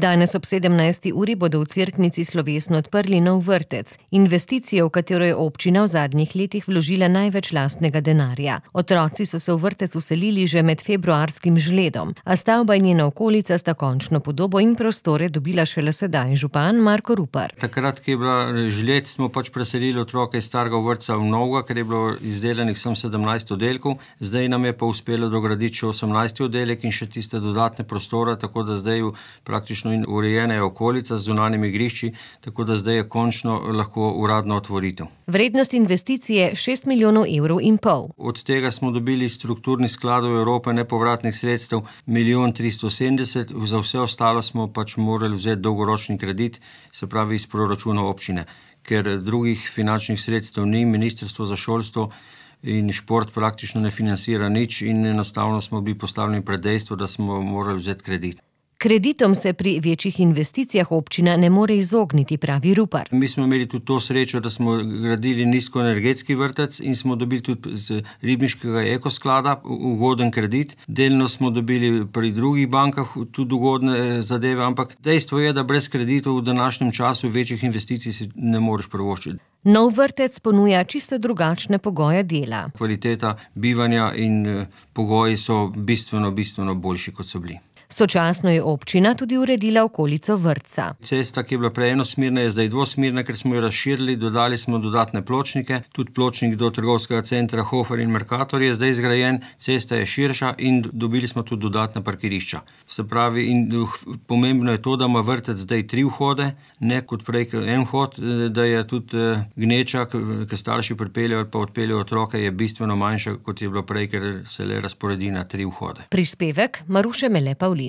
Danes ob 17. uri bodo v Cerknici slovesno odprli nov vrtec, investicijo, v katero je občina v zadnjih letih vložila največ lastnega denarja. Otroci so se v vrtec vselili že med februarskim žledom, a stavba in njena okolica sta končno podobo in prostore dobila šele sedaj, župan Marko Rupar. Takrat, ko je bila žled, smo preselili otroke iz starega vrtca v novega, ker je bilo izdelanih sem 17 oddelkov, zdaj nam je pa uspelo dograditi še 18 oddelek in še tiste dodatne prostore, tako da zdaj praktično in urejena je okolica z zunanjimi igrišči, tako da zdaj je končno lahko uradno otvoritev. Vrednost investicije 6,5 milijonov evrov. Od tega smo dobili strukturnih skladov Evrope nepovratnih sredstev 1,370 milijonov, za vse ostalo smo morali vzeti dolgoročni kredit, se pravi iz proračuna občine, ker drugih finančnih sredstev ni, Ministrstvo za šolstvo in šport praktično ne financira nič in enostavno smo bili postavljeni pred dejstvo, da smo morali vzeti kredit. Kreditom se pri večjih investicijah občina ne more izogniti, pravi Rupar. Mi smo imeli tudi to srečo, da smo gradili nizkoenergetski vrtec in smo dobili tudi z ribniškega ekosklada ugoden kredit. Delno smo dobili pri drugih bankah tudi ugodne zadeve, ampak dejstvo je, da brez kreditov v današnjem času večjih investicij si ne moreš privoščiti. Nov vrtec ponuja čisto drugačne pogoje dela. Kvaliteta bivanja in pogoji so bistveno boljši, kot so bili. Sočasno je občina tudi uredila okolico vrtca. Cesta, ki je bila prej enosmerna, je zdaj dvosmerna, ker smo jo razširili, dodali smo dodatne pločnike, tudi pločnik do trgovskega centra Hofer in Mercator je zdaj zgrajen, cesta je širša in dobili smo tudi dodatna parkirišča. Se pravi, in pomembno je to, da ima vrtec zdaj 3 vhode, ne kot prej en vhod, da je tudi gneča, ki starši pripeljejo ali pa odpeljejo otroke, je bistveno manjša, kot je bilo prej, ker se le razporedi na 3 vhode. Prispevek Maruše Mele Pavlin.